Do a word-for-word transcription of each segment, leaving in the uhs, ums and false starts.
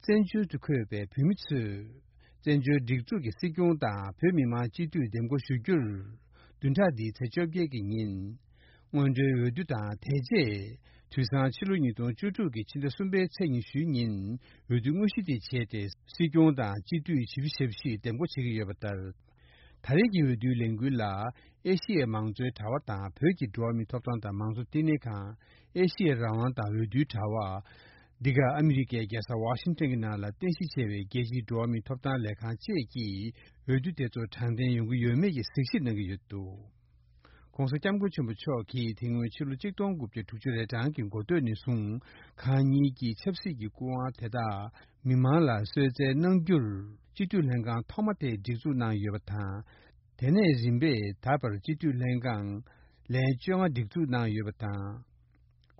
བཙན་བྱོལ་དུ་འཁོད་པའི་བོད་མི་ཚོས་བཙན་བྱོལ་སྒྲིག་འཛུགས་ཀྱི་སྲིད་སྐྱོང་དང་བོད་མི་མང་སྤྱི་འཐུས་འདེམས་བསྐོ་ཞུ་རྒྱུར། བདུན་ཕྲག་འདིའི་ཚེས་བཅོ་བརྒྱད་ཀྱི་ཉིན། སྔོན་འགྲོའི་འོས་བསྡུ་དང་དེ་རྗེས། དུས་སང་ཕྱི་ལོ་ཉིས་སྟོང་བཅུ་དྲུག་གི་ཕྱི་ཟླ་གསུམ་པའི་ཚེས་ཉི་ཤུའི་ཉིན་འོས་བསྡུ་དངོས་གཞི་དེ་བྱས་ཏེ་སྲིད་སྐྱོང་དང་སྤྱི་འཐུས་བཞི་བཅུ་ཞེ་བཞི་འདེམས་བསྐོ་བྱེད་ཀྱི་ཡོད་པ་ལྟར། ད་རེས་ཀྱི་འོས་བསྡུའི་ལས་འགུལ་ལ་ཨེ་ཤི་ཡའི་མང་གཙོའི་དྲ་བ་དང་བོད་ཀྱི་འགྲོ་བ་མིའི་ཐོབ་ཐང་དང་མང་གཙོ་བསྟི་གནས་ཁང་། ཨེ་ཤི་ཡའི་རང་དབང་དང་འོས་བསྡུའི་དྲ་བ། འདི་ག་ཨ་མི་རི་ཀའི་རྒྱལ་ས་ཝ་ཤིང་ཊོན་གྱི་ནང་ལ་རྟེན་གཞི་བྱས་པའི་རྒྱལ་སྤྱིའི་འགྲོ་བ་མིའི་ཐོབ་ཐང་ལས་ཁང་བཅས་ཀྱིས་འོས་བསྡུ་དེ་ཚོ་དྲང་བདེན་ཡོང་གི་ཡོད་མེད་ཀྱི་གཟིགས་ཞིབ་གནང་གི་ཡོད་འདུག ྋགོང་ས་ྋསྐྱབས་མགོན་ཆེན་པོ་མཆོག་གིས་དེ་སྔོན་ཕྱི་ལོ་ཆིག་སྟོང་དགུ་བརྒྱ་དྲུག་ཅུ་རེ་གྲངས་ཀྱི་འགོ་སྟོད་ནས་བཟུང་གང་ཉིད་ཀྱི་ཆབ་སྲིད་ཀྱི་སྐུ་དབང་དེ་དག་མི་མང་ལ་གསོལ་སྩལ་གནང་རྒྱུར་སྤྱི་འཐུས་ལྷན་ཁང་ཐོག་མ་དེ་སྒྲིག་འཛུགས་གནང་ཡོད་པ་དང་། དེ་ནས་རིམ་པས་ད་བར་སྤྱི་འཐུས་ལྷན་ཁང་ལན་བཅོ་ལྔ་སྒྲིག་འཛུགས་གནང་ཡོད་པ་དང་།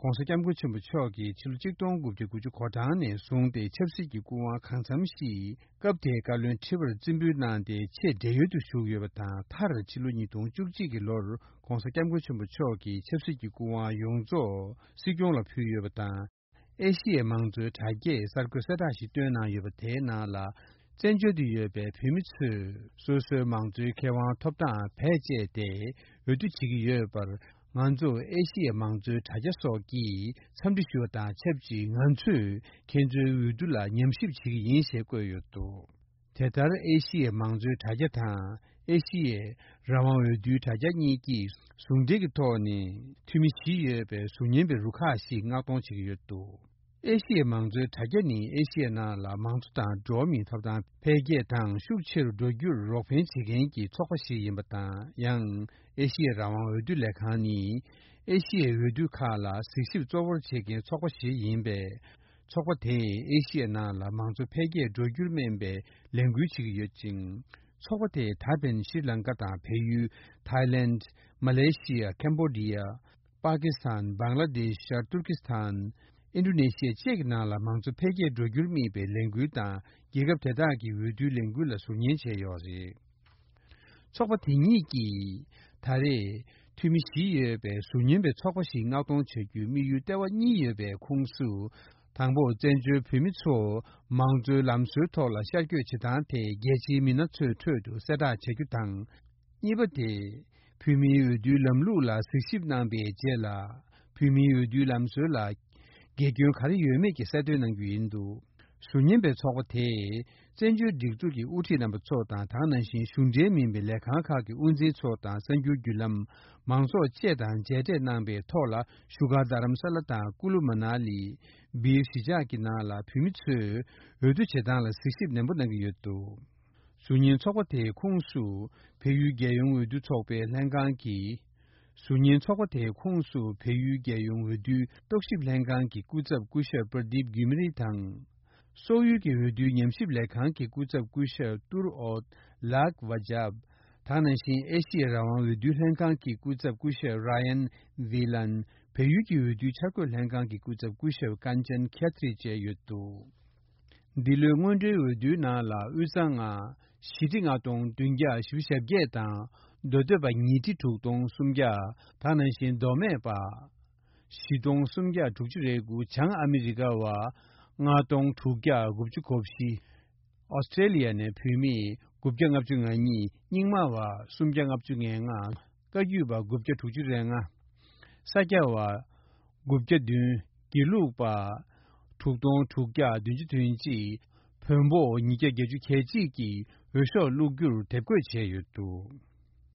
ྋགོང་ས་ྋསྐྱབས་མགོན་ཆེན་པོ་མཆོག་གིས་ཕྱི་ལོ་ཆིག་སྟོང་དགུ་བརྒྱ་དགུ་ཅུ་གོ་གྲངས་ནས་བཟུང་སྟེ་ཆབ་སྲིད་ཀྱི་སྐུ་དབང་གང་འཚམ་ཞིག་སྐབས་དེའི་བཀའ་བློན་ཁྲི་པར་རྩིས་འབུལ་གནང་སྟེ་ཆེས་བགྲེས་ཡོལ་དུ་བཞུགས་ཡོད་པ་དང་། མཐར་ཕྱི་ལོ་ཉིས་སྟོང་བཅུ་གཅིག་གི་ལོར་ྋགོང་ས་ྋསྐྱབས་མགོན་ཆེན་པོ་མཆོག་གིས་ཆབ་སྲིད་ཀྱི་སྐུ་དབང་ཡོངས་རྫོགས་སྲིད་སྐྱོང་ལ་ཕུལ་ཡོད་པ་དང་། ཨེ་ཤི་ཡའི་མང་གཙོའི་དྲ་རྒྱས་གསར་འགོད་གསལ་བསྒྲགས་ཤིག་བཏོན་གནང་ཡོད་པ་དེའི་ནང་ལ། བཙན་བྱོལ་དུ་ཡོད་པའི་བོད་མི་ཚོས་སོ་སོའི་མང་གཙོའི་ཁེ་དབང་ཐོབ་སྟངས་བེད་སྤྱད་དེ་འོས་བསྡུ་བྱེད་ཀྱི་ཡོད་པར། ང་ཚོ་ཨེ་ཤི་ཡའི་མང་གཙོའི་དྲ་རྒྱ་སོགས་ཀྱིས་འཚམས་འདྲི་ཞུ་བ་དང་ཆབས་ཅིག་ང་ཚོས་ཁྱེད་ཚོའི་འོས་བསྡུ་ལ་ཉམས་ཞིབ་བྱེད་ཀྱི་ཡིན་ཞེས་བཀོད་ཡོད་འདུག་དེ་ལྟར་ཨེ་ཤི་ཡའི་མང་གཙོའི་དྲ་རྒྱ་དང་ཨེ་ཤི་ཡའི་རང་དབང་འོས་བསྡུའི་དྲ་རྒྱ་གཉིས་ཀྱིས་ཟུང་འབྲེལ་གྱི་ཐོག་ནས་འཐུས་མི་བཞི་ཡོད་པའི་ཟུར་ཉན་པའི་རུ་ཁག་ཞིག་མངགས་གཏོང་བྱེད་ཀྱི་ཡོད་འདུག་ཨེ་ཤི་ཡའི་མང་གཙོའི་དྲ་རྒྱ་ནི་ཨེ་ཤི་ཡའི་ནང་ལ་མང་གཙོ་དང་འགྲོ་བ་མིའི་ཐོབ་ཐང་འཕེལ་རྒྱས་དང་ཤུགས་ཆེ་རུ་འགྲོ་རྒྱུར་རོགས་ཕན་བྱེད་མཁན་གྱི་ཚོགས་པ་ཞིག་ཡིན་པ་དང་། ཡང་ཨེ་ཤི་ཡའི་རང་དབང་འོས་བསྡུ་ལས་ཁང་ནི་ཨེ་ཤི་ཡའི་འོས་བསྡུ་ཁག་ལ་གཟིགས་ཞིབ་གཙོ་བོར་བྱེད་མཁན་ཚོགས་པ་ཞིག་ཡིན་པས། ཚོགས་པ་དེས་ཨེ་ཤི་ཡའི་ནང་ལ་མང་གཙོ་འཕེལ་རྒྱས་འགྲོ་རྒྱུར་སྨན་པའི་ལས་འགུལ་བྱེད་ཀྱི་ཡོད་ཅིང་། ཚོགས་པ་དེས་ད་ཕན་ཤྲི་ལང་ཀ་དང་བལ་ཡུལ། ཐའི་ལེནྜ། མ་ལེ་ཤི་ཡ། ཀེམ་བོ་ཌི་ཡ། པ་ཀི་སི་ཐན། བང་ལ་དེཤ། ཏུར་ཀི་སི་ཐན། ཨིན་ཌོ་ནེ་ཤི་ཡ་བཅས་ཀྱི་ནང་ལ་མང་གཙོ་འཕེལ་རྒྱས་འགྲོ་རྒྱུར་དམིགས་པའི་ལས་འགུལ་དང་། རྒྱལ་ཁབ་དེ་དག་གི་འོས་བསྡུའི་ལས་འགུལ་ལ་ཟུར་ཉན་བྱས་ཡོད་རེད། ཚོགས་པ་དེ་གཉིས་ཀྱིས་ད་རེས་འཐུས་མི་བཞི་ཡོད་པའི་ཟུར་ཉན་པའི་ཚོགས་པ་ཞིག་མངགས་གཏོང་བྱ་རྒྱུའི་དམིགས་ཡུལ་ལྟེ་བ་གཉིས་ཡོད་པའི་ཁོངས་སུ། དང་པོ། བཙན་བྱོལ་བོད་མི་ཚོ་མང་གཙོའི་ལམ་སྲོལ་ཐོག་ལ་ཤར་བསྐྱོད་བྱེད་སྟངས་དེ་རྒྱལ་སྤྱིའི་མི་སྣ་ཚོའི་ཁྲོད་དུ་གསལ་བསྒྲགས་བྱ་རྒྱུ་དང་། གཉིས་པ་དེ། བོད་མིའི་འོས་བསྡུའི་ལམ་ལུགས་ལ་གཟིགས་ཞིབ་གནང་པའི་རྗེས་ལ། བོད་མིའི་འོས་བསྡུའི་ལམ་སྲོལ་ལ་དགེ་སྐྱོན་ག་རེ་ཡོད་མེད་ཀྱི་གསལ་སྟོན་གནང་རྒྱུ་ཡིན་འདུག་ཟུར་ཉན་པའི་ཚོགས་པ་དེས་བཙན་བྱོལ་སྒྲིག་འཛུགས་ཀྱི་དབུ་ཁྲིད་རྣམ་པ་ཚོ་དང་། དེ་ནང་བཞིན་གཞུང་འབྲེལ་མིན་པའི་ལས་ཁང་ཁག་གི་དབུ་འཛིན་ཚོ་དང་། གསར་འགྱུར་བརྒྱུད་ལམ། མང་ཚོགས་བཅས་དང་མཇལ་འཕྲད་གནང་པའི་ཐོག་ལ། བཞུགས་སྒར་རྡ་རམ་ས་ལ་དང་། ཀུ་ལུ་མ་ན་ལི། སྦིར་གཞིས་ཆགས་ཀྱི་ནང་ལ་བོད་མི་ཚོས་འོས་བསྡུ་བྱེད་སྟངས་ལ་གཟིགས་ཞིབ་ནན་པོ་གནང་གི་ཡོད་འདུག་ཟུར་ཉན་ཚོགས་པ་དེའི་ཁོངས་སུ་བལ་ཡུལ་རྒྱལ་ཡོངས་འོས་བསྡུ་ཚོགས་པའི་ལྷན་ཁང་གི། ཟུར་ཉན་ཚོགས་པ་དེའི་ཁོངས་སུ་བལ་ཡུལ་རྒྱལ་ཡོངས་འོས་བསྡུའི་རྟོག་ཞིབ་ལྷན་ཁང་གི་སྐུ་ཚབ་སྐུ་ཞབས་པར་དིབ་གུ་མི་རི་དང་། སོག་ཡུལ་གྱི་འོས་བསྡུའི་ཉམས་ཞིབ་ལས་ཁང་གི་སྐུ་ཚབ་སྐུ་ཞབས་ཏུར་ཨོད་ལག་ཝ་ཇབ། དེ་ནང་བཞིན་ཨེ་ཤི་ཡའི་རང་དབང་འོས་བསྡུའི་ལྷན་ཁང་གི་སྐུ་ཚབ་སྐུ་ཞབས་ར་ཡན་ཝི་ལན། བལ་ཡུལ་གྱི་འོས་བསྡུའི་འཆར་འགོད་ལྷན་ཁང་གི་སྐུ་ཚབ་སྐུ་ཞབས་ཀན་ཅན་ཁྱ་ཐི་རི་བཅས་ཡོད་འདུག་འདི་ལོའི་སྔོན་འགྲོའི་འོས་བསྡུའི་ནང་ལ་དབུས་གཙང་ལྔ། ཞི་ཁྲི་ལྔ་སྟོང་བདུན་བརྒྱ་བཞི་བཅུ་ཞེ་བརྒྱད་དང་། མདོ་སྟོད་པ་ཉིས་ཁྲི་དྲུག་སྟོང་སུམ་བརྒྱ། དེ་ནང་བཞིན་མདོ་སྨད་པ། བཞི་སྟོང་སུམ་བརྒྱ་དྲུག་ཅུ་རེ་དགུ། བྱང་ཨ་མི་རི་ཀ་བ། ལྔ་སྟོང་དྲུག་བརྒྱ་དགུ་བཅུ་གོ་བཞི། ཨོ་སི་ཀྲེ་ལི་ཡ་ནས་བོད་མི་དགུ་བརྒྱ་ལྔ་བཅུ་ང་གཉིས། རྙིང་མ་བ་སུམ་བརྒྱ་ལྔ་བཅུ་ང་ལྔ། བཀའ་བརྒྱུད་པ་དགུ་བརྒྱ་དྲུག་ཅུ་རེ་ལྔ། ས་སྐྱ་བ་དགུ་བརྒྱ་བདུན། དགེ་ལུགས་པ་དྲུག་སྟོང་དྲུག་བརྒྱ་བདུན་ཅུ་དོན་གཅིག། བོན་པོ་ཉིས་བརྒྱ་བརྒྱད་ཅུ་གྱ་གཅིག་གིས་འོས་ཤོག་བླུག་རྒྱུར་དེབ་འགོད་བྱས་ཡོད་འདུག